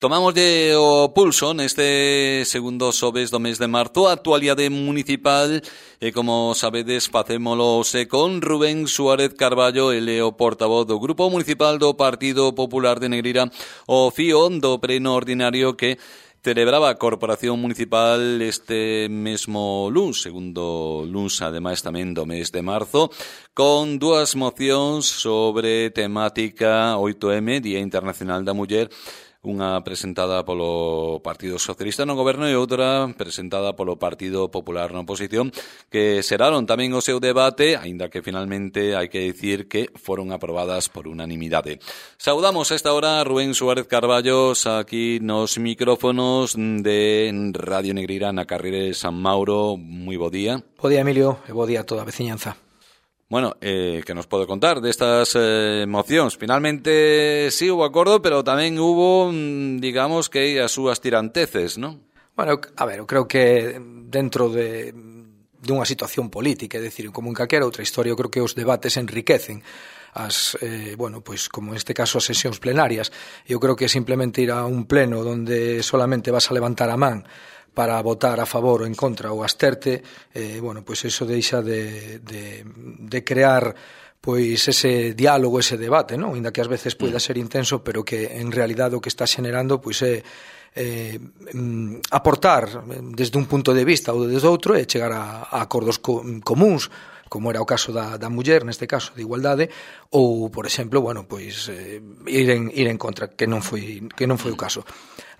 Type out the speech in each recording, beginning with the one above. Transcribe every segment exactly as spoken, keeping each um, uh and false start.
Tomamos de o pulso neste segundo xoves do mes de marzo, a actualidade municipal, e como sabedes, facémolo se con Rubén Suárez Carballo, ele o portavoz do Grupo Municipal do Partido Popular de Negreira, o fío do pleno ordinario que celebraba a Corporación Municipal este mesmo luns, segundo luns, ademais tamén do mes de marzo, con dúas mocións sobre temática oito eme, Día Internacional da Muller, unha presentada polo Partido Socialista no goberno e outra presentada polo Partido Popular na oposición, que seraron tamén o seu debate, aínda que finalmente hai que dicir que foron aprobadas por unanimidade. Saudamos a esta hora a Rubén Suárez Carballo aquí nos micrófonos de Radio Negreira na carreira de San Mauro. Moi bo día. Bo día, Emilio, e bo día a toda a veciñanza. Bueno, eh, que nos pode contar destas eh, mocións? Finalmente sí hubo acordo, pero tamén hubo, digamos, que as súas tiranteces, non? Bueno, a ver, eu creo que dentro de, de unha situación política, é dicir, como en calquera outra historia, eu creo que os debates enriquecen as, eh, bueno, pois como neste caso as sesións plenarias. Eu creo que simplemente ir a un pleno donde solamente vas a levantar a man para votar a favor ou en contra ou absterte, eh, bueno, pois iso deixa de, de, de crear pois ese diálogo, ese debate, non? Ainda que ás veces poida ser intenso, pero que en realidade o que está xenerando pois é eh, aportar desde un punto de vista ou desde outro e chegar a, a acordos co, comuns, como era o caso da, da muller, neste caso, de igualdade, ou, por exemplo, bueno, pois eh, ir en, ir en contra, que non foi, que non foi o caso.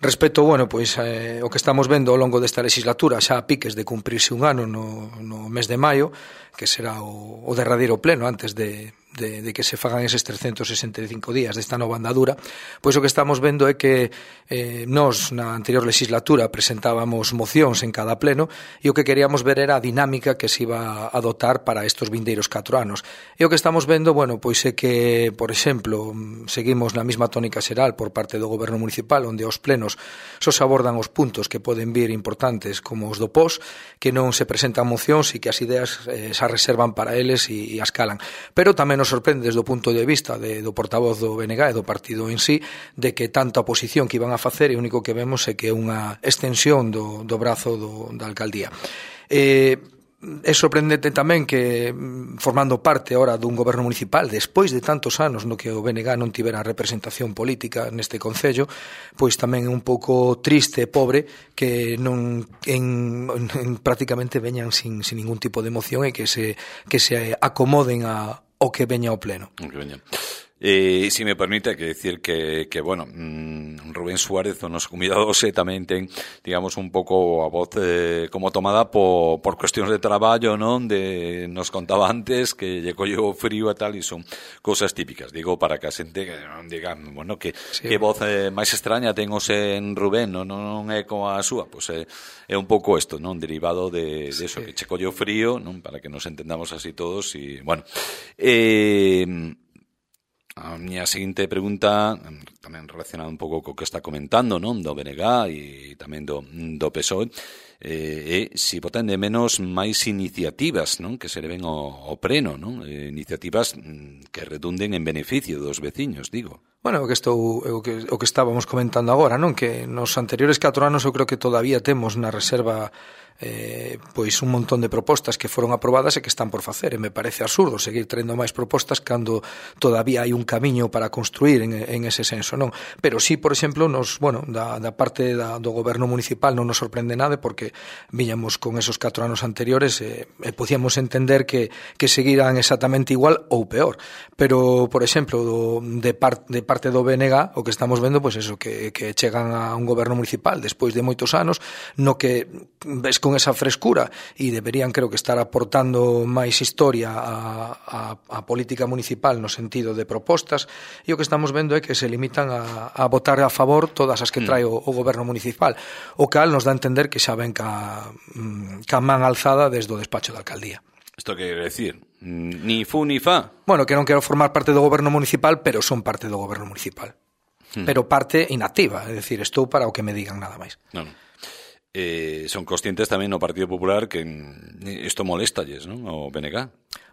Respecto, bueno, pois eh, o que estamos vendo ao longo desta legislatura, xa a piques de cumprirse un ano no, no mes de maio, que será o, o derradeiro pleno antes de, de, de que se fagan eses trescentos sesenta e cinco días desta nova andadura, pois o que estamos vendo é que eh, nós na anterior legislatura presentábamos mocións en cada pleno e o que queríamos ver era a dinámica que se iba a adotar para estes vindeiros catro anos. E o que estamos vendo, bueno, pois é que, por exemplo, seguimos na mesma tónica xeral por parte do goberno municipal, onde os plenos só se abordan os puntos que poden vir importantes como os do P O S, que non se presentan mocións e que as ideas eh, se reservan para eles e, e as calan. Pero tamén nos sorprende desde o punto de vista de, do portavoz do B N G e do partido en sí, de que tanta oposición que iban a facer e o único que vemos é que é unha extensión do, do brazo do, da alcaldía. Eh, É sorprendente tamén que, formando parte ahora dun goberno municipal, despois de tantos anos no que o B N G non tivera representación política neste concello, pois tamén é un pouco triste e pobre que non en, en prácticamente veñan sin, sin ningún tipo de emoción e que se, que se acomoden a, ao que veña ao pleno. Que veña. E, se me permite, que decir que, que bueno, mmm, Rubén Suárez, o noso convidado, se tamén ten, digamos, un pouco a voz eh, como tomada por, por cuestións de traballo, non? De, nos contaba antes que lle colleu frío e tal, e son cousas típicas, digo, para que a xente que non diga, bueno, que, sí. que voz eh, máis extraña ten os en Rubén, non, non é como a súa, pois é, é un pouco isto, non? Derivado de, de eso, sí. Que che colleu frío, non? Para que nos entendamos así todos, e, bueno, eh... a miña seguinte pregunta, tamén relacionada un pouco co que está comentando, non, do B N G e tamén do, do P S O E, eh, e se botan de menos máis iniciativas, non, que se leven ao, ao pleno, non, eh, iniciativas que redunden en beneficio dos veciños, digo. Bueno, o que estou o que o que estábamos comentando agora, non, que nos anteriores catro anos eu creo que todavía temos na reserva eh, pois un montón de propostas que foron aprobadas e que están por facer, e me parece absurdo seguir traendo máis propostas cando todavía hai un camiño para construir en, en ese senso, non? Pero sí, por exemplo, nos, bueno, da, da parte da, do goberno municipal non nos sorprende nada porque viñamos con esos catro anos anteriores e, e podíamos entender que, que seguiran exactamente igual ou peor, pero, por exemplo, do, de, par, de parte do B N G, o que estamos vendo, pois eso, que, que chegan a un goberno municipal despois de moitos anos, no que ves con esa frescura e deberían, creo que, estar aportando máis historia a, a, a política municipal no sentido de propostas, e o que estamos vendo é que se limitan a, a votar a favor todas as que trae o, o goberno municipal, o cal nos dá a entender que xa ven ca, ca man alzada desde o despacho da alcaldía. Isto que quere decir? Ni fu ni fa? Bueno, que non quero formar parte do goberno municipal, pero son parte do goberno municipal. Hmm. Pero parte inactiva, é dicir, estou para o que me digan, nada máis. Non, non. Eh, son conscientes tamén no Partido Popular que isto molestalles, non? O B N G.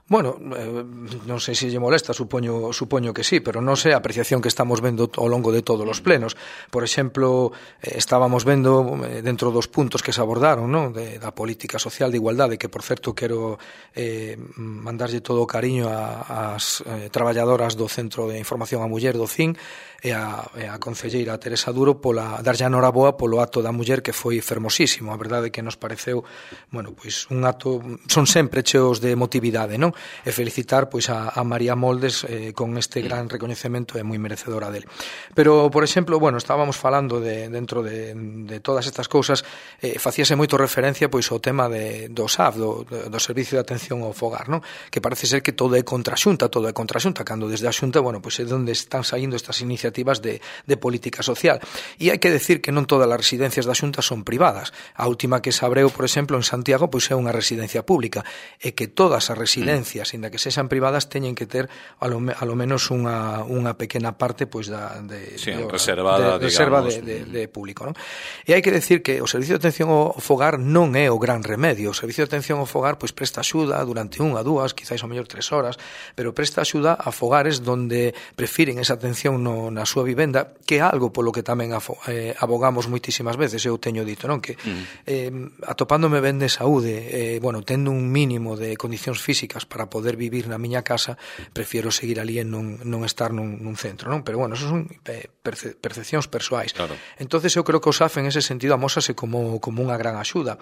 Bueno, eh, non sei se lle molesta, supoño, supoño que sí, pero non sei a apreciación que estamos vendo ao longo de todos os plenos. Por exemplo, eh, estábamos vendo eh, dentro dos puntos que se abordaron, non? De, da política social de igualdade, que por certo quero eh, mandarlle todo o cariño ás eh, traballadoras do Centro de Información á Muller do C I N e a, e a concelleira Teresa Duro pola darlle a noraboa polo acto da muller, que foi fermosísimo. A verdade é que nos pareceu, bueno, pois un acto, son sempre cheos de emotividade, non? E felicitar pois a, a María Moldes eh, con este gran recoñecemento, é moi merecedora dele. Pero, por exemplo, bueno, estábamos falando de, dentro de, de todas estas cousas, eh, facíase moito referencia pois ao tema de, do S A F, do, do Servicio de Atención ao Fogar, non? Que parece ser que todo é contra a Xunta, todo é contra a Xunta, cando desde a Xunta, bueno, pois é onde están saindo estas iniciativas de, de política social. E hai que decir que non todas as residencias da Xunta son privadas. A última que se abreu, por exemplo, en Santiago, pois é unha residencia pública, e que todas as residencias ainda que sexan privadas, teñen que ter a lo, a lo menos unha, unha pequena parte pois da de, sí, de, reservada, de, reserva de, de, de público, non? E hai que decir que o Servicio de Atención ao Fogar non é o gran remedio. O Servicio de Atención ao Fogar pois presta axuda durante unha, dúas, quizáis ao mellor tres horas, pero presta axuda a fogares donde prefiren esa atención no, na súa vivenda, que é algo polo que tamén afo, eh, abogamos moitísimas veces, eu teño dito, non? Que eh, atopándome ben de saúde, eh, bueno, tendo un mínimo de condicións físicas para poder vivir na miña casa, prefiero seguir ali en non, non estar nun, nun centro, non? Pero bueno, eso son perce, percepcións persoais. Claro. Entonces eu creo que o S A F en ese sentido amósase como, como unha gran axuda.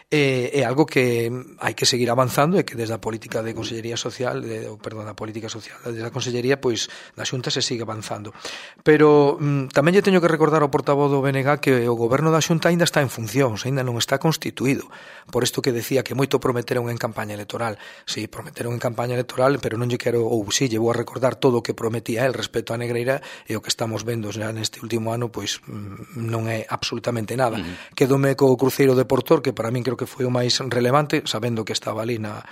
É, é algo que hai que seguir avanzando e que desde a política de Consellería Social, de, perdón, a política social, desde a Consellería, pois, da Xunta se sigue avanzando. Pero mm, tamén lle teño que recordar ao portavoz do B N G que o goberno da Xunta aínda está en funcións, aínda non está constituído. Por isto que decía que moito prometeron en campaña electoral. Si, sí, prometeron en campaña electoral, pero non lle quero, ou si, lle vou a recordar todo o que prometía el respecto a Negreira, e o que estamos vendo xa neste último ano, pois non é absolutamente nada. Uh-huh. Quedome co cruceiro de Portor, que para min creo que foi o máis relevante, sabendo que estaba ali na,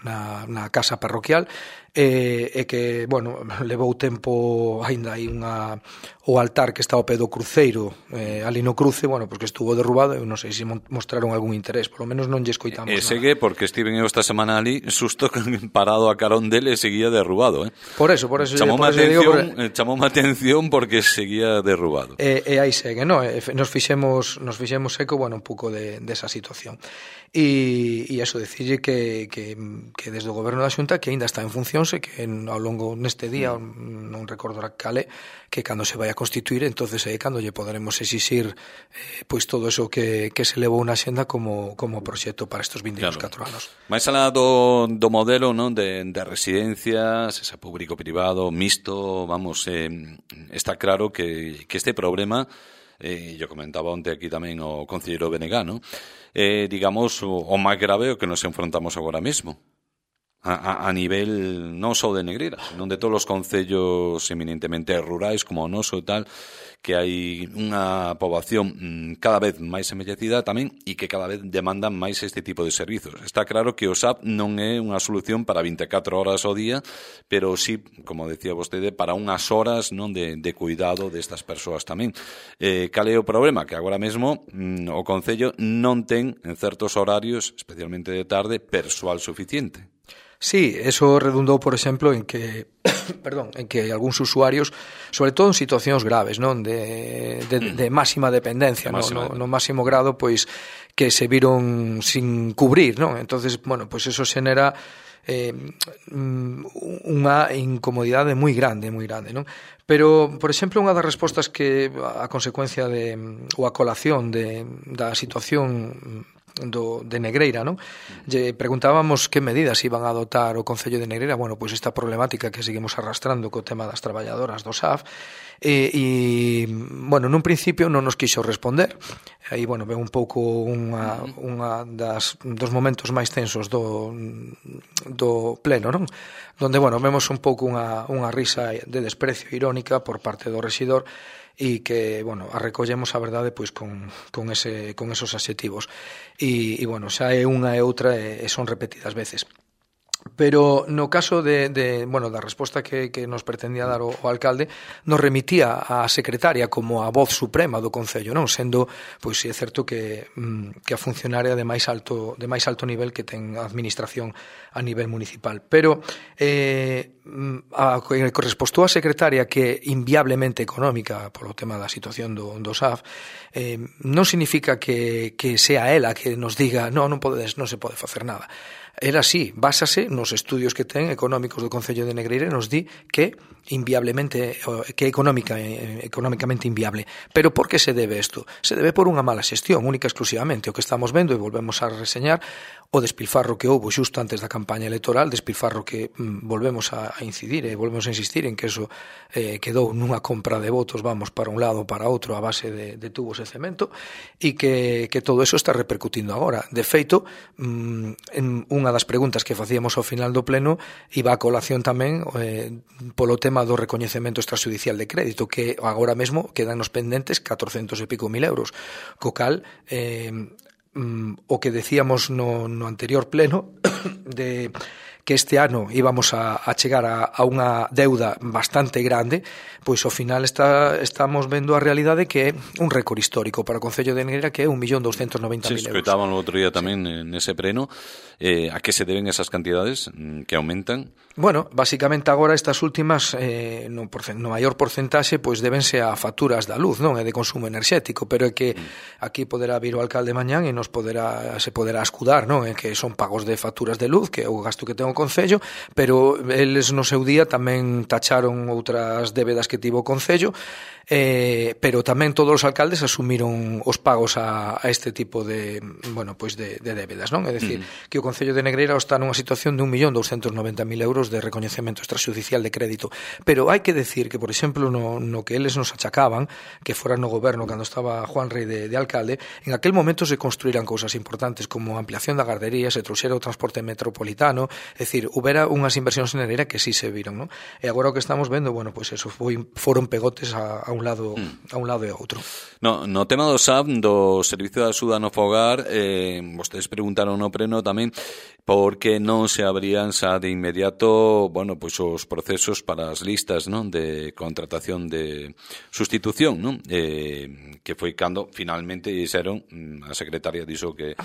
na, na casa parroquial, e, e que, bueno, levou tempo, aínda hai unha, o altar que está ao pé do cruceiro, eh, ali no cruce, bueno, porque estuvo derrubado, eu non sei se mostraron algún interés, polo menos non lle escoitamos e, nada. E segue, porque estiven eu esta semana ali, susto parado a carón dele, seguía derrubado, eh? Por eso, por eso. Chamoume por atención, digo, por... chamoume atención porque seguía derrubado. E, e aí segue, no? E nos fixemos, nos fixemos eco, bueno, un pouco de, desa situación. E, e eso, decirlle que, que, que desde o goberno da Xunta, que aínda está en funcións, e que en, ao longo neste día, non recordo a cale, que cando se vai a constituir, entonces é cando lle poderemos exixir eh, pois todo eso que, que se levou na xenda como, como proxecto para estes vinte e catro claro. anos. Mais alá do, do modelo, non, de, de residencias, ese público-privado, mixto, vamos, eh, está claro que, que este problema, eh, yo comentaba onte aquí tamén o concelleiro Benegá, non? Eh, digamos, o, o máis grave o que nos enfrontamos agora mesmo. A, a, a nivel non só de Negreira, senón de todos os concellos eminentemente rurais como o noso e tal, que hai unha poboación mmm, cada vez máis envellecida tamén e que cada vez demandan máis este tipo de servizos. Está claro que o S A P non é unha solución para vinte e catro horas ao día, pero sí, como decía vostede, para unhas horas non de, de cuidado destas persoas tamén. Eh, cal é o problema? Que agora mesmo mmm, o Concello non ten en certos horarios, especialmente de tarde, persoal suficiente. Sí, eso redundou, por exemplo, en que perdón, en que algúns usuarios, sobre todo en situacións graves, non, de, de, de máxima dependencia, de máxima, no, no, no máximo grado, pois que se viron sin cubrir, non? Entonces, bueno, pois eso xenera eh, unha incomodidade moi grande, moi grande, non? Pero, por exemplo, unha das respostas que a consecuencia de ou a colación de, da situación do, de Negreira, non? Lle preguntábamos que medidas iban a adotar o Concello de Negreira, bueno, pois esta problemática que seguimos arrastrando co tema das traballadoras do S A F, e, e bueno, nun principio non nos quixo responder. Aí, bueno, ve un pouco unha, unha das, dos momentos máis tensos do, do pleno, non? Donde, bueno, vemos un pouco unha, unha risa de desprecio irónica por parte do rexidor, e que, bueno, a recollemos a verdade pois con, con, ese, con esos adxetivos e, e, bueno, xa é unha e outra e, e son repetidas veces. Pero no caso de, de bueno, da resposta que, que nos pretendía dar o, o alcalde, nos remitía a secretaria como a voz suprema do Concello, non? Sendo, pois, é certo que, que a funcionaria de máis alto de máis alto nivel que ten a administración a nivel municipal. Pero eh, a, que correspostou a secretaria que é inviablemente económica polo tema da situación do, do S A F, eh, non significa que, que sea ela que nos diga no, non, podedes, non se pode facer nada. Era así, básase nos estudios que ten económicos do Concello de Negreira e nos di que inviablemente que é económica, económicamente inviable. Pero por que se debe isto? Se debe por unha mala xestión, única e exclusivamente. O que estamos vendo, e volvemos a reseñar, o despilfarro que houbo xusto antes da campaña electoral, despilfarro que mm, volvemos a, a incidir e volvemos a insistir en que eso eh, quedou nunha compra de votos, vamos, para un lado para outro a base de, de tubos e cemento, e que, que todo eso está repercutindo agora. De feito, mm, en unha das preguntas que facíamos ao final do pleno iba a colación tamén eh, polo tema do recoñecemento extrajudicial de crédito, que agora mesmo quedan nos pendentes catorcentos e pico mil euros, co cal eh, mm, o que decíamos no, no anterior pleno de que este ano íbamos a, a chegar a, a unha deuda bastante grande, pois ao final está, estamos vendo a realidade que é un récord histórico para o Concello de Negreira, que é un millón doscientos noventa mil euros. Se escoitaban o outro día tamén sí. nese pleno. Eh, a que se deben esas cantidades que aumentan? Bueno, basicamente agora estas últimas eh, no, porcent- no maior porcentaxe pois debense a facturas da luz, non? É de consumo enerxético, pero é que mm. aquí poderá vir o alcalde mañán e nos poderá se poderá escudar, non? É que son pagos de facturas de luz, que é o gasto que ten o Concello, pero eles no seu día tamén tacharon outras débedas que tivo o Concello, eh, pero tamén todos os alcaldes asumiron os pagos a, a este tipo de, bueno, pois de, de débedas, non? É dicir, mm. que o Concello de Negreira está nunha situación de un millón doscientos noventa mil euros de recoñecemento extrajudicial de crédito, pero hai que decir que, por exemplo, no, no que eles nos achacaban, que fora no goberno cando estaba Juan Rey de, de alcalde, en aquel momento se construíran cousas importantes como a ampliación da gardería, se trouxera o transporte metropolitano, é dicir, houbera unhas inversións en Negreira que sí se viron, non? E agora o que estamos vendo, bueno, pois eso foi, foron pegotes a, a un lado mm. a un lado e a outro. No, no tema do S A F, do Servicio de Axuda no Fogar, eh, vostedes preguntaron no pleno tamén por que non se abrían xa de inmediato, bueno, pois os procesos para as listas, non, de contratación de sustitución, non? Eh, que foi cando finalmente dixeron, a secretaria dixo que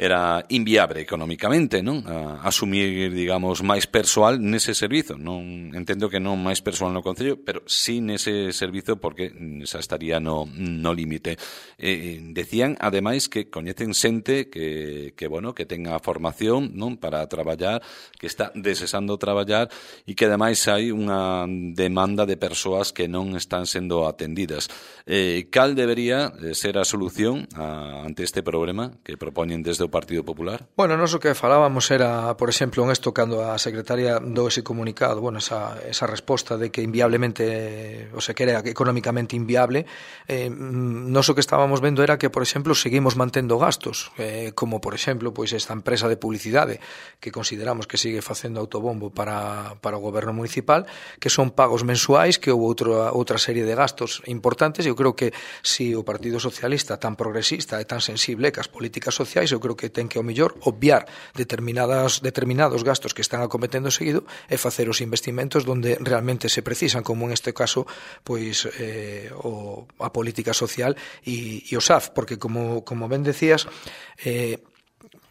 era inviable económicamente, non? A asumir, digamos, máis persoal nese servizo. Non entendo que non máis persoal no Concello, pero sí nese servizo porque xa estaría no, no límite. Eh, decían, ademais, que coñecen xente que, que, bueno, que tenga formación, non, para traballar, que está desexando traballar e que ademais hai unha demanda de persoas que non están sendo atendidas. Eh, cal debería ser a solución a, ante este problema que propoñen desde o Partido Popular? Bueno, nos o que falábamos era, por exemplo, en esto cando a secretaria dou ese comunicado, bueno, esa, esa resposta de que inviablemente, o sea, que era económicamente inviable, eh, nos o que estábamos vendo era que, por exemplo, seguimos mantendo gastos, eh, como, por exemplo, pois esta empresa de publicidade que consideramos que sigue facendo autobombo para, para o goberno municipal, que son pagos mensuais, que houve outra, outra serie de gastos importantes. Eu creo que si o Partido Socialista tan progresista e tan sensible cas políticas sociais, eu creo que que ten que, ao mellor, obviar determinadas, determinados gastos que están acometendo seguido e facer os investimentos donde realmente se precisan, como en este caso pois eh, o, a política social e, e o S A F, porque como, como ben decías, eh,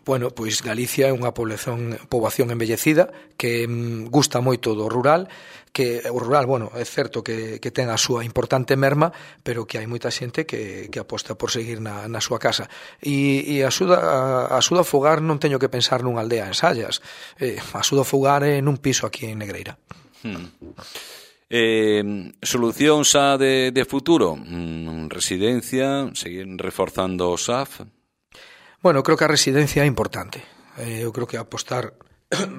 bueno, pois Galicia é unha población, poboación envellecida que mm, gusta moito do rural, que o rural, bueno, é certo que, que ten a súa importante merma, pero que hai moita xente que, que aposta por seguir na, na súa casa. E, e a axuda a axuda a fogar non teño que pensar nunha aldea en Sallas, eh, a axuda a fogar é nun piso aquí en Negreira. Hmm. Eh, solución xa de, de futuro? Mm, residencia, seguir reforzando o S A F? Bueno, creo que a residencia é importante. Eh, eu creo que apostar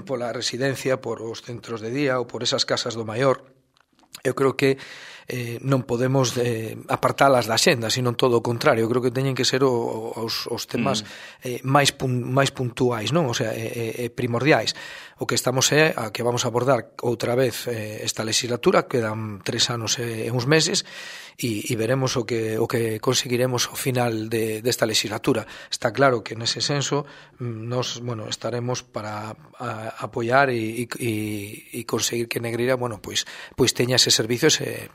pola residencia, por os centros de día ou por esas casas do maior, eu creo que eh, non podemos eh, apartalas da xenda, sino todo o contrario. Eu creo que teñen que ser o, os, os temas mm. eh, máis, pun, máis puntuais, non? O sea, eh, eh, primordiais. O que estamos é a que vamos a abordar outra vez eh, esta legislatura, quedan tres anos e uns meses, e, e veremos o que, o que conseguiremos ao final de, desta legislatura. Está claro que nese senso nos, bueno, estaremos para a, apoiar e, e, e conseguir que Negreira, bueno, pois, pois teña ese servicio, ese,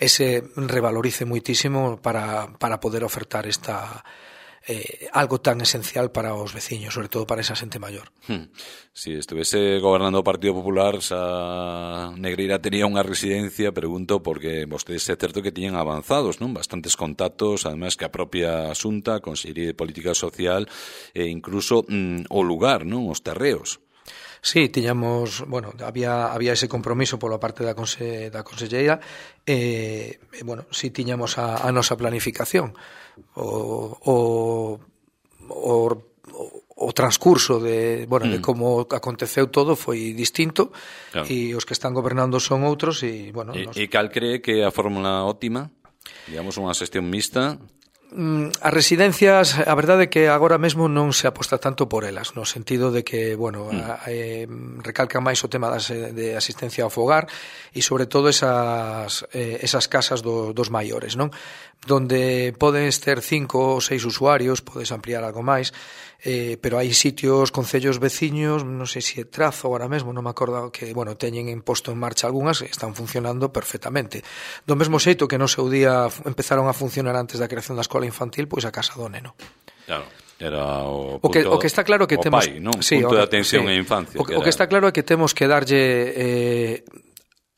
ese revalorice moitísimo para, para poder ofertar esta Eh, algo tan esencial para os veciños, sobre todo para esa xente maior. Hmm. Si estuvese gobernando o Partido Popular, xa Negreira tería unha residencia, pregunto, porque vostedes é certo que tiñen avanzados, non? Bastantes contactos, además que a propia Xunta, Consellería de Política Social e incluso mm, o lugar, non? Os terreos. Sí, tiñamos, bueno, había había ese compromiso pola parte da conse, da conselleira e, eh, bueno, si tiñamos a, a nosa planificación. O, o, o, o transcurso de, bueno, mm. de como aconteceu todo foi distinto, claro. E os que están gobernando son outros e, bueno, e, nos... e cal cree que é a fórmula óptima? Digamos unha xestión mixta. As residencias, a verdade é que agora mesmo non se aposta tanto por elas, no sentido de que, bueno, mm. a, eh, recalca máis o tema das, de asistencia ao fogar e sobre todo esas, eh, esas casas do, dos maiores, non? Donde podes ter cinco ou seis usuarios, podes ampliar algo máis, eh, pero hai sitios, concellos veciños, non sei se é Trazo agora mesmo, non me acordo, que, bueno, teñen imposto en marcha algunhas e están funcionando perfectamente. Do mesmo xeito que no seu día empezaron a funcionar antes da creación da escola infantil, pois a casa do neno. Claro. Era o, punto, o, que, o que está claro que o temos pai, non? Sí, punto o, de atención sí. e infancia. O que, que o que está claro é que temos que darlle eh,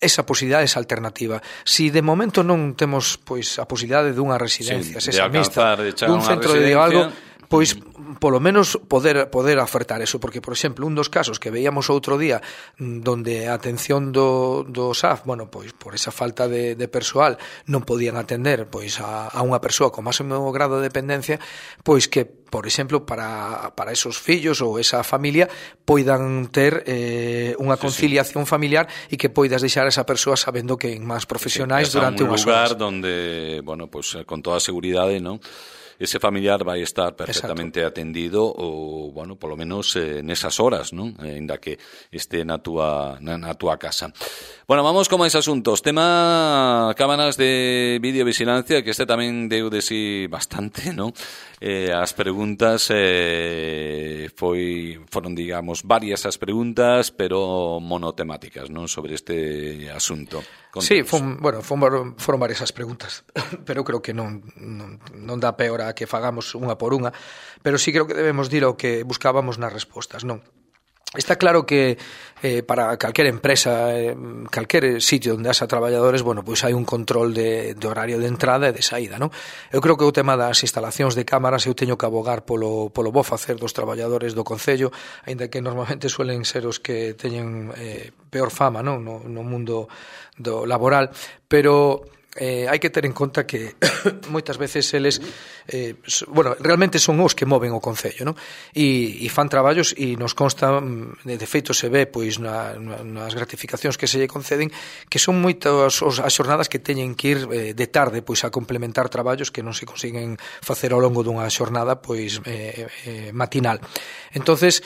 esa posibilidade, esa alternativa. Si de momento non temos pois a posibilidade dunha residencia, sí, esa mixta, dun centro de algo, pois polo menos poder poder ofertar eso, porque por exemplo, un dos casos que veíamos outro día donde a atención do, do S A F, bueno, pois por esa falta de, de persoal non podían atender pois a, a unha persoa con máximo grado de dependencia, pois que por exemplo, para, para esos fillos ou esa familia poidan ter eh, unha conciliación sí, sí. familiar e que poidas deixar a esa persoa sabendo que en máis profesionais sí, durante unhas horas. Un lugar donde, bueno, pues con toda seguridade, ¿no?, ese familiar vai estar perfectamente Exacto. atendido ou, bueno, polo menos eh, nesas horas, non? Ainda que este na túa, na, na túa casa. Bueno, vamos con máis asuntos. Tema cámaras de videovigilancia, que este tamén deu de si bastante, non? Eh, as preguntas eh, foi foron, digamos, varias as preguntas, pero monotemáticas, non? Sobre este asunto. Contanos. Sí, fon, bueno, fon, foron varias as preguntas, pero creo que non, non, non dá peor a que fagamos unha por unha, pero sí creo que debemos dir o que buscábamos nas respostas, non? Está claro que eh, para calquera empresa, eh, calquer sitio onde haxa traballadores, bueno, pois hai un control de, de horario de entrada e de saída, non? Eu creo que o tema das instalacións de cámaras eu teño que abogar polo, polo bo facer dos traballadores do Concello, aínda que normalmente suelen ser os que teñen eh, peor fama, non? No, no mundo do laboral, pero eh, hai que ter en conta que moitas veces eles eh, bueno, realmente son os que moven o Concello, non? E, e fan traballos e nos consta, de feito se ve pois na, nas gratificacións que se lle conceden, que son moitas as xornadas que teñen que ir eh, de tarde pois a complementar traballos que non se consiguen facer ao longo dunha xornada pois eh, eh, matinal. Entonces,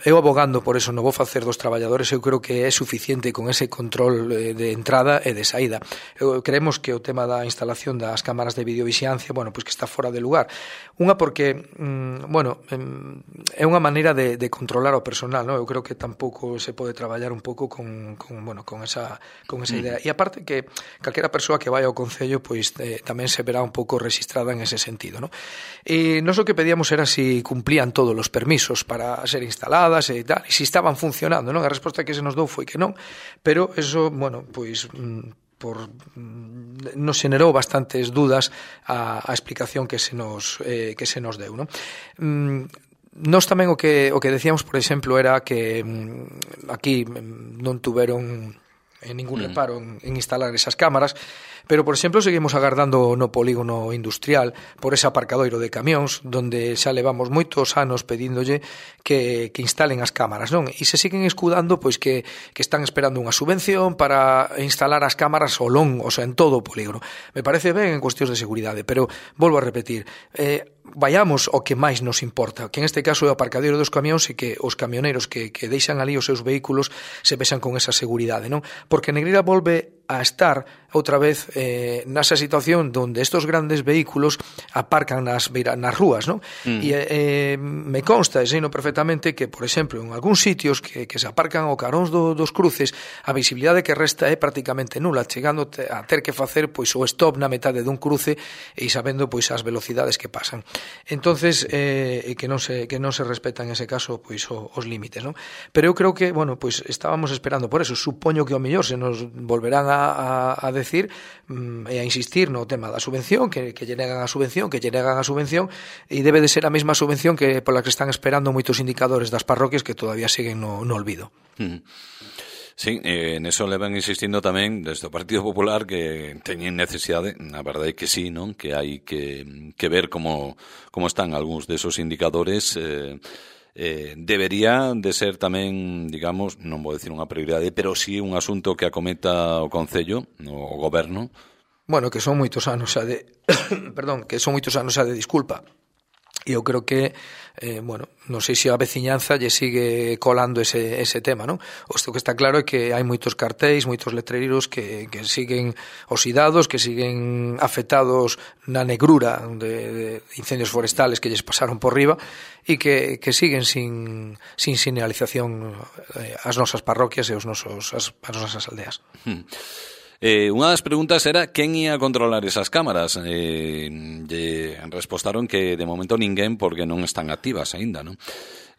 eu abogando por eso no vou facer dos traballadores, eu creo que é suficiente con ese control de entrada e de saída. Eu creemos que o tema da instalación das cámaras de videovixilancia, bueno, pois que está fora de lugar. Unha porque, mmm, bueno, é unha maneira de, de controlar o personal, non? Eu creo que tampouco se pode traballar un pouco con, con bueno, con esa con esa idea. E aparte que calquera persoa que vai ao Concello, pois eh, tamén se verá un pouco registrada en ese sentido, non? E nós o que pedíamos era si cumplían todos os permisos para ser instaladas e tal, e se estaban funcionando, non? A resposta que se nos dou foi que non, pero eso, bueno, pois por nos xenerou bastantes dudas a, a explicación que se nos eh, que se nos deu, non? Mm, Nós tamén o que o que decíamos, por exemplo, era que mm, aquí non tuveron en ningún reparo en, en instalar esas cámaras, Pero, por exemplo, seguimos agardando no polígono industrial por ese aparcadoiro de camións, donde xa levamos moitos anos pedíndolle que, que instalen as cámaras, non? E se siguen escudando, pois que, que están esperando unha subvención para instalar as cámaras ao long, o sea, en todo o polígono. Me parece ben en cuestións de seguridade, pero volvo a repetir, eh, vayamos ao que máis nos importa, que en este caso é o aparcadoiro dos camións e que os camioneiros que, que deixan ali os seus vehículos se vexan con esa seguridade, non? Porque Negreira volve a estar outra vez eh, nasa situación donde estos grandes vehículos aparcan nas, nas rúas, non? Mm. E eh, me consta, e sei no perfectamente, que, por exemplo, en algúns sitios que, que se aparcan ao caróns do, dos cruces, a visibilidade que resta é prácticamente nula, chegando a ter que facer pois o stop na metade dun cruce e sabendo pois as velocidades que pasan. Entonces, eh, que non se que non se respetan en ese caso pois o, os límites, non? Pero eu creo que, bueno, pois estábamos esperando por eso. Supoño que ao mellor se nos volverán a, a, a decir mm, e a insistir no tema da subvención, que, que lle negan a subvención, que lle negan a subvención, e debe de ser a mesma subvención que pola que están esperando moitos indicadores das parroquias que todavía siguen no, no olvido. Mm. Sí, eh, en eso le van insistindo tamén desde o Partido Popular que teñen necesidade, na verdade que sí, non? Que hai que, que ver como, como están algúns desos indicadores. eh, eh, debería de ser tamén, digamos, non vou decir unha prioridade, pero sí un asunto que acometa o Concello, o Goberno. Bueno, que son moitos anos xa de perdón, que son moitos anos xa de disculpa. E eu creo que, eh, bueno, non sei se a veciñanza lle sigue colando ese, ese tema, non? O que está claro é que hai moitos cartéis, moitos letreiros que, que siguen oxidados, que siguen afectados na negrura de, de incendios forestales que lles pasaron por riba e que, que siguen sin, sin señalización eh, as nosas parroquias e os nosos, as, as nosas aldeas. Hmm. Eh, unha das preguntas era quen ia controlar esas cámaras. Eh, lle respostaron que de momento ninguén porque non están activas aínda, non?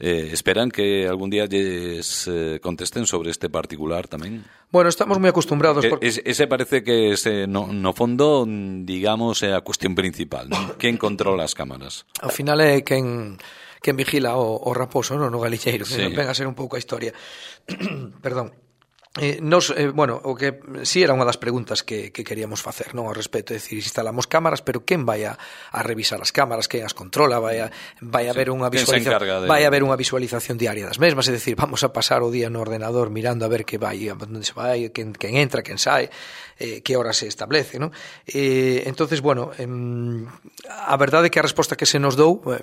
Eh, esperan que algún día lles eh, contesten sobre este particular tamén. Bueno, estamos moi acostumbrados porque... ese, ese parece que ese, no, no fondo, digamos, é a cuestión principal, non? Quen controla as cámaras? Ao final é quen quen vigila o, o raposo, non? No galicheiro, que sí. Venga a ser un pouco a historia. Perdón. Eh, nos, eh, bueno, o que si sí era unha das preguntas que, que queríamos facer, non, ao respecto, é dicir, instalamos cámaras, pero quen vai a, a revisar as cámaras, quen as controla, vai a, vai a sí, haber unha visualización, de... vai a haber unha visualización diaria das mesmas, é dicir, vamos a pasar o día no ordenador mirando a ver que vai, onde se vai, quen, quen entra, quen sai, eh, que hora se establece, non? Eh, entonces, bueno, eh, a verdade é que a resposta que se nos dou eh,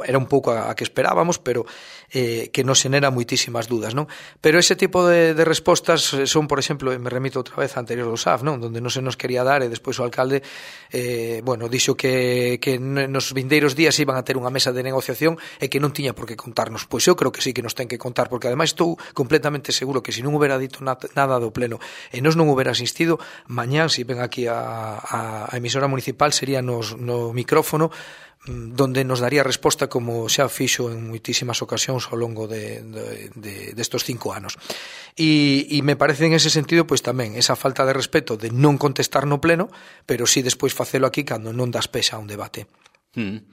era un pouco a, a que esperábamos, pero eh, que nos xenera moitísimas dudas, non? Pero ese tipo de, de respostas son, por exemplo, me remito outra vez a anterior do S A F, non? Donde non se nos quería dar e despois o alcalde eh, bueno, dixo que, que nos vindeiros días iban a ter unha mesa de negociación e que non tiña por que contarnos. Pois eu creo que sí que nos ten que contar, porque ademais estou completamente seguro que se non houbera dito nada do pleno e nos non houbera asistido, mañán, se ven aquí a, a, a emisora municipal, sería nos, no micrófono donde nos daría resposta como xa fixo en moitísimas ocasións ao longo de, de, de, de estos cinco anos. E, e me parece en ese sentido pois tamén esa falta de respeto de non contestar no pleno, pero sí despois facelo aquí cando non das pexa a un debate. Mm.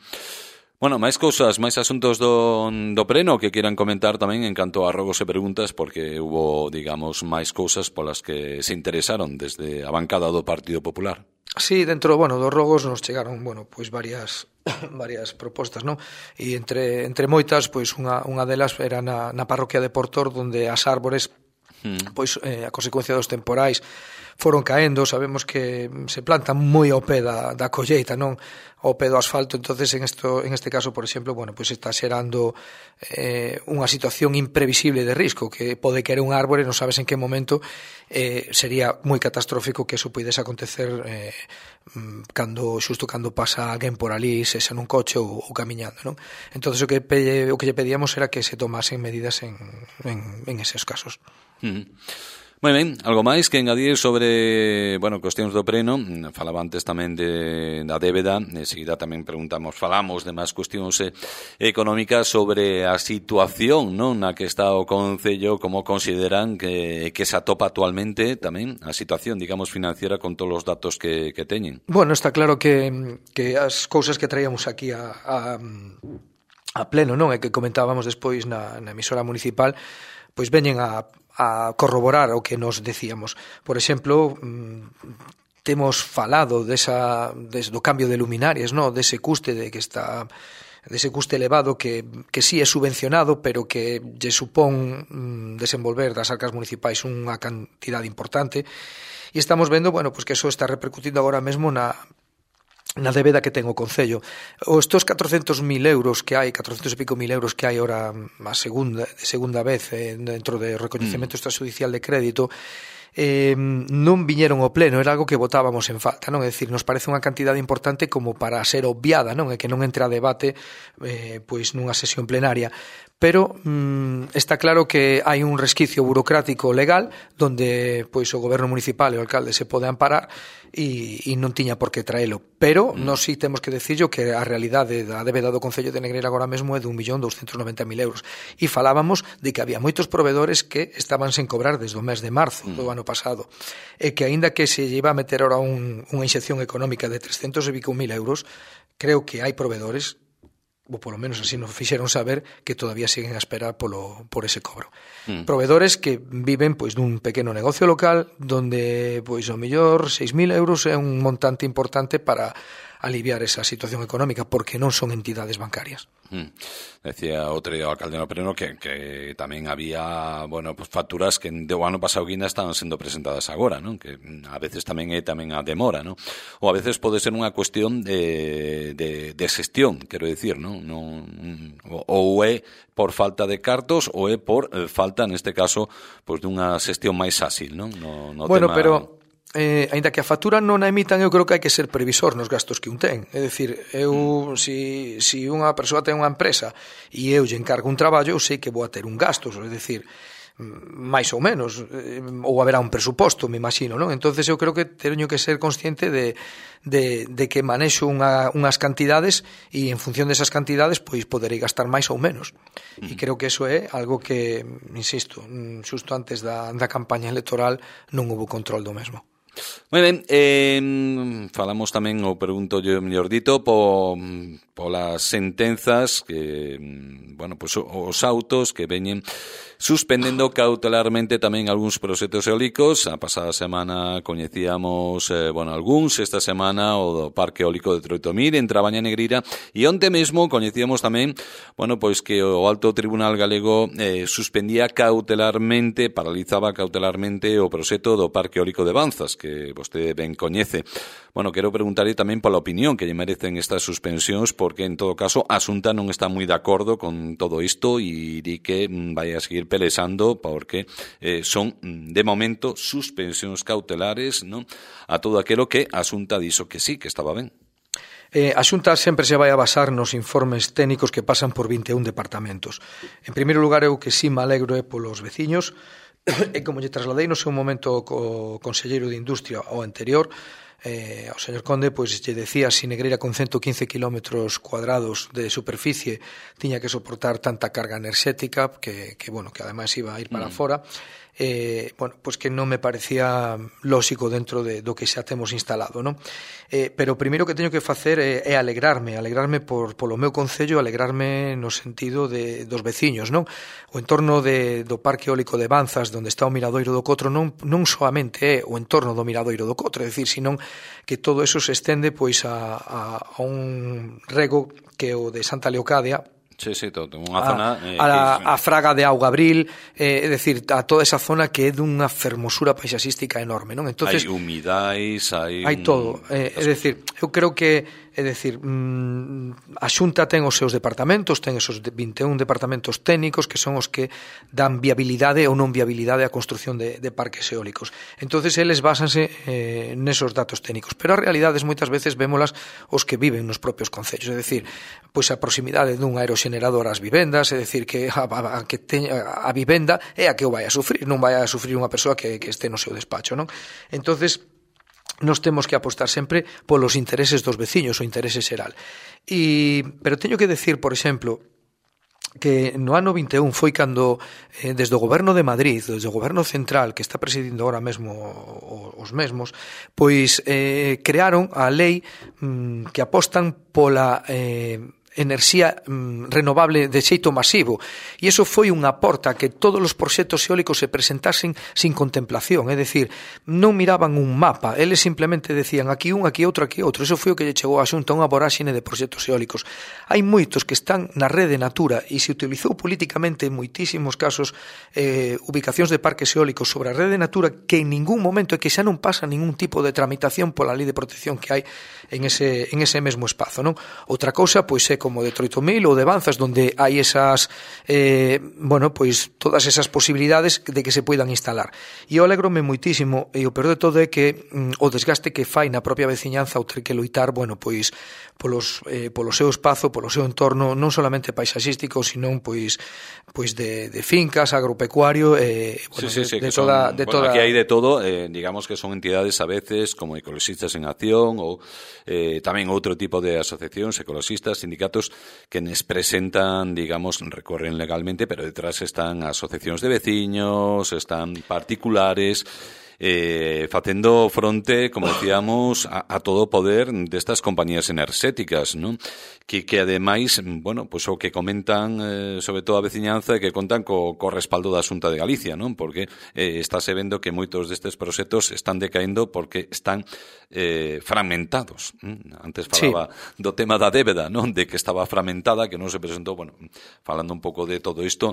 Bueno, máis cousas, máis asuntos do, do pleno que quieran comentar tamén en canto a rogos e preguntas, porque hubo, digamos, máis cousas polas que se interesaron desde a bancada do Partido Popular. Sí, dentro, bueno, dos rogos nos chegaron, bueno, pois varias varias propostas, non? E entre entre moitas, pois unha unha delas era na na parroquia de Portor, onde as árbores mm. pois eh, a consecuencia dos temporais foron caendo, sabemos que se plantan moi ao pé da, da colleita, non ao pé do asfalto, entonces en esto, en este caso, por exemplo, bueno, pues está xerando eh, unha situación imprevisible de risco, que pode caer un árbore, non sabes en que momento, eh, sería moi catastrófico que eso pudese acontecer eh, cando xusto cando pasa alguén por ali, se xa nun coche ou, ou camiñando, non? Entonces o que pe, o que lle pedíamos era que se tomasen medidas en, en, en eses casos. Mm. Moi ben, algo máis que engadir sobre, bueno, cuestións do pleno. Falaba antes tamén de, da débeda, enseguida tamén preguntamos, falamos de máis cuestións eh, económicas sobre a situación, non, na que está o Concello, como consideran que, que se atopa actualmente tamén a situación, digamos, financiera con todos os datos que, que teñen. Bueno, está claro que, que as cousas que traíamos aquí a, a, a pleno, non, e que comentábamos despois na, na emisora municipal, pois veñen a a corroborar o que nos decíamos. Por exemplo, temos falado desa, des, do cambio de luminarias, no? Dese custe de que está dese custe elevado que, que sí é subvencionado, pero que lle supón mm, desenvolver das arcas municipais unha cantidade importante, e estamos vendo, bueno, pues que eso está repercutindo agora mesmo na na débeda que ten o Concello. Os estos catrocentos mil euros que hai, catrocentos e pico mil euros que hai ahora a segunda, de segunda vez eh, dentro do recoñecemento mm. extrajudicial de crédito, eh, non viñeron ao pleno, era algo que votábamos en falta, non? É dicir, nos parece unha cantidade importante como para ser obviada, non? E que non entre a debate eh, pois nunha sesión plenaria. Pero mm, está claro que hai un resquicio burocrático legal donde pois o goberno municipal e o alcalde se pode amparar e, e non tiña por que traelo. Pero mm. nós sí temos que decirlo que a realidade da débeda do Concello de Negreira agora mesmo é de un millón douscentos noventa mil euros. E falábamos de que había moitos proveedores que estaban sen cobrar desde o mes de marzo mm. do ano pasado, e que aínda que se lle iba a meter ahora un, unha inxección económica de trescentos e pico mil euros, creo que hai proveedores, ou polo menos así nos fixeron saber, que todavía siguen a esperar polo, por ese cobro. Mm. Proveedores que viven pois dun pequeno negocio local donde pois ao mellor seis mil euros é un montante importante para aliviar esa situación económica, porque non son entidades bancarias. Mm. Decía outro alcalde no pleno que, que tamén había, bueno, pues facturas que do ano pasado guinda estaban sendo presentadas agora, non? Que a veces tamén é tamén a demora, non? Ou a veces pode ser unha cuestión de, de, de xestión, quero dicir, non? non ou é por falta de cartos ou é por eh, falta, neste caso, pues, dunha xestión máis áxil, non? No, no bueno, tema... pero eh, aínda que a factura non a emitan, eu creo que hai que ser previsor nos gastos que un ten. É dicir, eu, mm. si, si unha persoa ten unha empresa e eu lle encargo un traballo, eu sei que vou a ter un gasto, é dicir, máis ou menos, ou haberá un presuposto, me imagino, non? Entonces eu creo que teño que ser consciente de, de, de que manexo unha, unhas cantidades e en función desas cantidades pois poderei gastar máis ou menos. Mm. E creo que eso é algo que, insisto, xusto antes da, da campaña electoral non houve control do mesmo. Moi ben, eh, falamos tamén, ou pregunto yo mellor dito, po, polas sentenzas que, bueno, pues os autos que veñen suspendendo cautelarmente tamén algúns proxectos eólicos. A pasada semana coñecíamos, eh, bueno, algúns, esta semana o do Parque Eólico de Troitomir en Trabaña Negreira, e onte mesmo coñecíamos tamén, bueno, pois que o Alto Tribunal Galego eh, suspendía cautelarmente, paralizaba cautelarmente o proxecto do Parque Eólico de Banzas, que vostede ben coñece. Bueno, quero preguntarle tamén pola opinión que lle merecen estas suspensións, porque en todo caso a Xunta non está moi de acordo con todo isto e di que vai a seguir pelexando porque eh, son de momento suspensións cautelares, non, a todo aquilo que a Xunta dixo que sí, que estaba ben. Eh, a Xunta sempre se vai a basar nos informes técnicos que pasan por vinte e un departamentos. En primeiro lugar, eu que sí me alegro é polos veciños, e como lle trasladei no seu momento co conselleiro de Industria ao anterior, eh, ao señor Conde, pois lle decía si Negreira con ciento quince kilómetros cuadrados de superficie tiña que soportar tanta carga enerxética que, que bueno, que ademais iba a ir para mm. fora. Eh, bueno, pois que non me parecía lóxico dentro de, do que xa temos instalado, non? Eh, pero o primeiro que teño que facer é, é alegrarme, alegrarme por, polo meu concello, alegrarme no sentido de, dos veciños, non? O entorno de, do Parque Eólico de Banzas, onde está o Miradoiro do Cotro, non, non soamente é o entorno do Miradoiro do Cotro, é dicir, senón que todo eso se estende pois a, a, a un rego que é o de Santa Leocadia, Sí, sí, todo, unha zona eh, a, a, a Fraga de Auga Abril, eh, é dicir, a toda esa zona que é dunha fermosura paisaxística enorme, non? Entonces, hai humidais, hai hai todo, eh, é dicir, eu creo que é dicir, mmm, a Xunta ten os seus departamentos, ten esos vinte e un departamentos técnicos que son os que dan viabilidade ou non viabilidade á construción de, de parques eólicos. Entonces, eles basanse eh, nesos datos técnicos, pero as realidades moitas veces vémolas os que viven nos propios concellos, é dicir, pois a proximidade dun aeroxenerador ás vivendas, é dicir, que a, a, a, que teña, a vivenda é a que o vai a sufrir, non vai a sufrir unha persoa que, que este no seu despacho, non? Entonces, nos temos que apostar sempre polos intereses dos veciños, o interese xeral. E, pero teño que decir, por exemplo, que no ano vinte e un foi cando eh, desde o goberno de Madrid, desde o goberno central que está presidindo ahora mesmo os mesmos, pois eh, crearon a lei mm, que apostan pola eh, enerxía mm, renovable de xeito masivo. E iso foi unha porta que todos os proxectos eólicos se presentasen sin contemplación, é dicir, non miraban un mapa, eles simplemente decían aquí un, aquí outro, aquí outro. Iso foi o que lle chegou a Xunta unha voráxine de proxectos eólicos. Hai moitos que están na rede Natura e se utilizou políticamente en moitísimos casos eh, ubicacións de parques eólicos sobre a rede Natura que en ningún momento é que xa non pasa ningún tipo de tramitación pola lei de protección que hai en ese, en ese mesmo espazo, non? Outra cousa, pois, é como de Troitomil ou de Banzas, donde hai esas, eh, bueno, pois, todas esas posibilidades de que se poidan instalar. E eu alegrome moitísimo, e o peor de todo é que mm, o desgaste que fai na propia veciñanza o ter que loitar, bueno, pois, polos, eh, polo seu espazo, polo seu entorno, non solamente paisaxístico, sino, pois, pois de, de fincas, agropecuario, eh, bueno, sí, sí, sí, de, de son, toda... De bueno, toda... aquí hai de todo, eh, digamos que son entidades a veces como Ecologistas en Acción ou eh, tamén outro tipo de asociacións, ecologistas, sindicatos que nos presentan, digamos, recorren legalmente, pero detrás están asociacións de veciños, están particulares, eh, facendo fronte, como decíamos, a, a todo o poder destas compañías enerxéticas, non? Que, que ademais, bueno, pues o que comentan eh, sobre todo a veciñanza é que contan co, co respaldo da Xunta de Galicia, non? Porque eh, estáse vendo que moitos destes proxectos están decaendo porque están eh, fragmentados. ¿Mm? Antes falaba sí. do tema da débeda, non? De que estaba fragmentada, que non se presentou, bueno, falando un pouco de todo isto,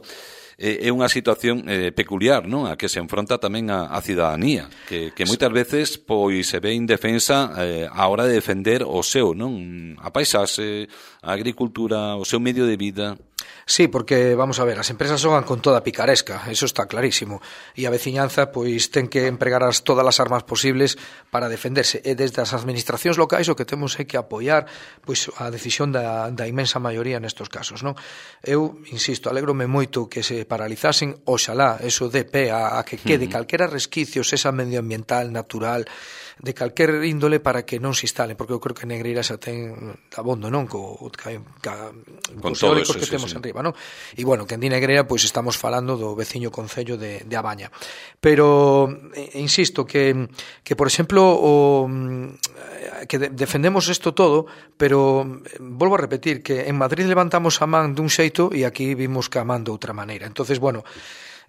eh, é unha situación eh, peculiar, non? A que se enfronta tamén a, a cidadanía, que, que moitas veces pois se ve indefensa eh, a hora de defender o seu, non? A paisaxe, a agricultura, o seu medio de vida. Sí, porque, vamos a ver, as empresas xogan con toda a picaresca, eso está clarísimo, e a veciñanza, pois, ten que empregar as, todas as armas posibles para defenderse, e desde as administracións locais o que temos é que apoiar, pois, a decisión da, da inmensa maioría nestos casos, non? Eu, insisto, alégrome moito que se paralizasen, oxalá, eso dé pé a, a que quede uh-huh. calquera resquicios, esa medioambiental, natural, de calquer índole para que non se instalen, porque eu creo que Negreira xa ten abondo, non? Co, ca, ca, con os eólicos eso, que sí, temos sí. enriba, non? E, bueno, que en di Negreira, pois estamos falando do veciño concello de, de Abaña. Pero, eh, insisto, que, que por exemplo, o, que de, defendemos isto todo, pero volvo a repetir que en Madrid levantamos a man dun xeito e aquí vimos que a man de outra maneira. Entonces, bueno,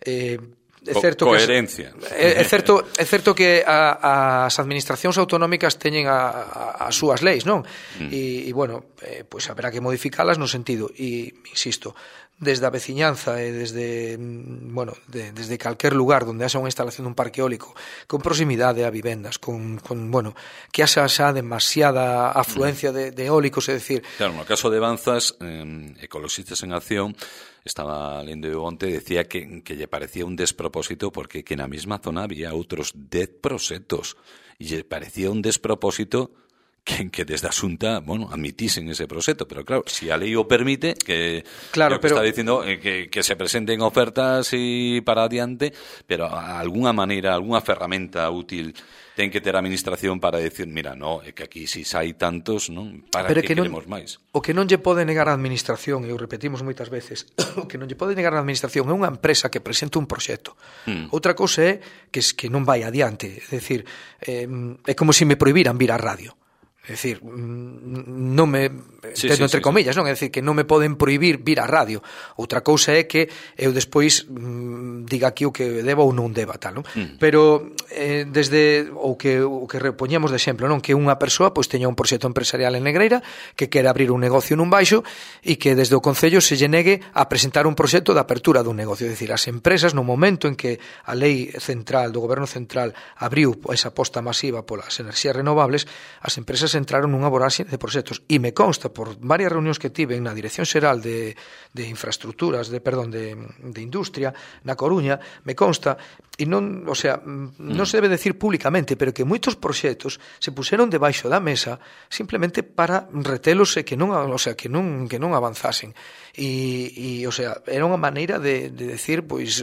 eh, é certo coherencia. Que, é, é certo, é certo que a, as administracións autonómicas teñen a, a, as súas leis, non? Mm. E, e, bueno, eh, pois haberá que modificalas no sentido, e, insisto, desde a veciñanza e desde, bueno, de, desde calquer lugar onde haxa unha instalación dun parque eólico con proximidade a vivendas, con, con bueno, que haxa xa demasiada afluencia de, de eólicos, é dicir... Claro, no caso de Banzas, eh, Ecologistas en Acción, estaba lendo eu onte, decía que, que lle parecía un despropósito porque que na mesma zona había outros dez proxectos e lle parecía un despropósito que, que desde a Xunta, bueno, admitisen ese proxecto, pero claro, si a lei o permite, que, claro, que pero... está dicindo eh, que, que se presenten ofertas e para adiante, pero a alguna maneira, alguna ferramenta útil ten que ter a administración para decir, mira, no, é que aquí si hai tantos, non? Para pero que, que queremos non, máis. O que non lle pode negar a administración, e o repetimos moitas veces, o que non lle pode negar a administración é unha empresa que presenta un proxecto. Hmm. Outra cousa é que, que non vai adiante, é dicir, eh, é como se me prohibiran vir á radio. É dicir, non me sí, entendo sí, entre sí, comillas, sí. non? É dicir, que non me poden prohibir vir á radio. Outra cousa é que eu despois mm, diga aquí o que deba ou non deba, tal, non? Mm. Pero eh, desde o que o que repoñemos de exemplo, non? Que unha persoa pois teña un proxecto empresarial en Negreira, que quere abrir un negocio nun baixo e que desde o concello se lle negue a presentar un proxecto de apertura dun negocio. É dicir, as empresas no momento en que a lei central do goberno central abriu esa aposta masiva polas enerxías renovables, as empresas entraron nunha voráxine de proxectos e me consta por varias reunións que tive na Dirección Xeral de, de Infraestructuras, de perdón, de, de Industria na Coruña, me consta e non, o sea, non se debe decir públicamente, pero que moitos proxectos se puseron debaixo da mesa simplemente para retelos e que non, o sea, que non que non avanzasen. E, e o sea, era unha maneira de, de decir, pois,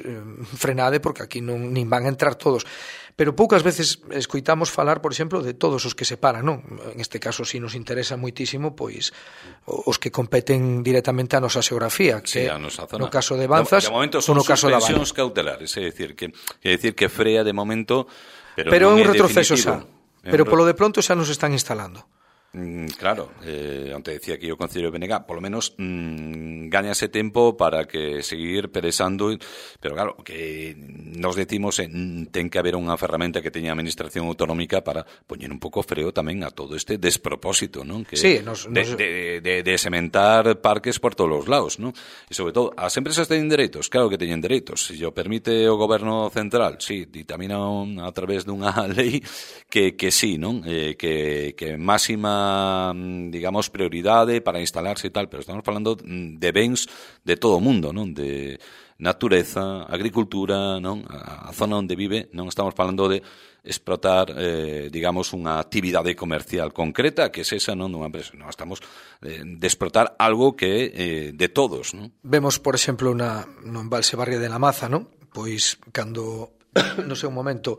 frenade porque aquí non nin van a entrar todos. Pero poucas veces escoitamos falar, por exemplo, de todos os que se paran, non? En este caso, si nos interesa moitísimo, pois, os que competen directamente a nosa xeografía, que sí, a nosa zona. No caso de Banzas, de, de momento son no caso suspensións cautelares, é dicir, que, é dicir que frea de momento, pero, pero non é un é retroceso definitivo. xa. Pero polo de pronto xa nos están instalando. Mm, claro, eh, onte decía que o Concello de B N G, polo menos mm, gañase tempo para que seguir peresando, pero claro, que nos decimos eh, ten que haber unha ferramenta que teña a Administración Autonómica para poñer un pouco freo tamén a todo este despropósito, non? Que sí, nos, de, nos... de, de, de sementar parques por todos os lados, non? E sobre todo, as empresas teñen dereitos, claro que teñen dereitos, se o permite o Goberno Central, sí, ditamina a través dunha lei que, que sí, non? Eh, que, que máxima digamos, prioridade para instalarse e tal, pero estamos falando de bens de todo o mundo, non? De natureza, agricultura, non? A zona onde vive, non estamos falando de explotar, eh, digamos, unha actividade comercial concreta que es esa, non? Dunha empresa. Non, estamos eh, de explotar algo que é eh, de todos, non? Vemos, por exemplo, na, no embalse Barria de la Maza, non? Pois, cando, no sei un momento,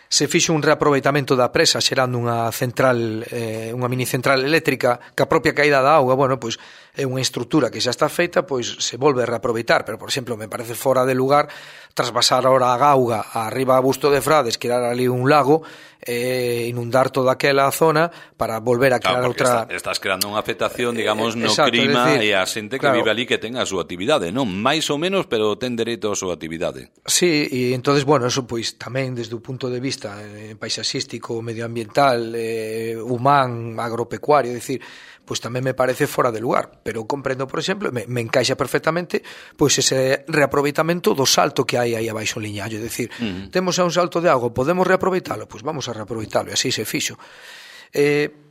se fixo un reaproveitamento da presa xerando unha central, eh, unha mini central eléctrica que a propia caída da auga, bueno, pois é unha estrutura que xa está feita, pois se volve a reaproveitar, pero por exemplo, me parece fora de lugar trasvasar ahora a auga arriba a Busto de Frades, crear ali un lago, eh, inundar toda aquela zona para volver a crear claro, outra... Está, estás creando unha afectación, digamos, no Exacto, clima decir, e a xente que claro, vive ali que ten a súa actividade, non? Mais ou menos, pero ten dereito a súa actividade. Sí, e entonces, bueno, eso pois tamén desde o punto de vista eh, paisaxístico, medioambiental, eh, humán, agropecuario, é dicir, pois tamén me parece fora de lugar, pero comprendo, por exemplo, me, me encaixa perfectamente pois ese reaproveitamento do salto que hai aí abaixo en Liñallo, é dicir, uh-huh. temos a un salto de auga, podemos reaproveitalo, pois vamos a reaproveitalo, e así se fixo. Eh,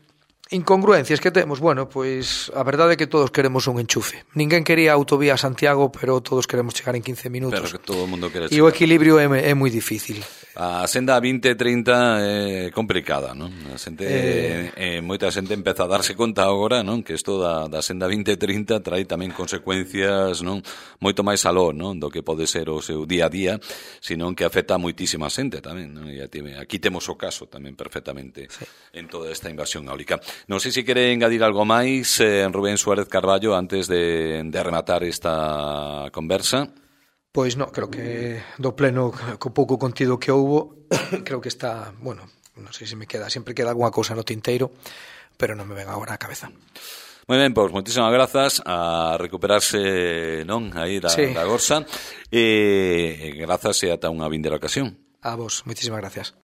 incongruencias que temos, bueno, pois a verdade é que todos queremos un enchufe. Ninguén quería autovía a Santiago, pero todos queremos chegar en quince minutos. Pero que todo o mundo quere chegar. E o equilibrio é, é moi difícil. A senda vinte trinta é complicada, non? A xente, eh... eh, moita xente empeza a darse conta agora, non? Que isto da, da senda vinte trinta trae tamén consecuencias, non? Moito máis aló, non? Do que pode ser o seu día a día, senón que afecta a moitísima xente tamén, non? E aquí temos o caso tamén perfectamente sí. En toda esta invasión eólica. Non sei se quere engadir algo máis, eh, Rubén Suárez Carballo, antes de, de rematar esta conversa. Pois non, creo que do pleno, co pouco contido que houbo, creo que está, bueno, non sei se me queda, sempre queda algunha cousa no tinteiro, pero non me ven agora á cabeza. Moi ben, pois moitísimas grazas, a recuperarse, non, aí da, sí. da gorsa, e grazas e ata unha vindeira ocasión. A vos, moitísimas gracias.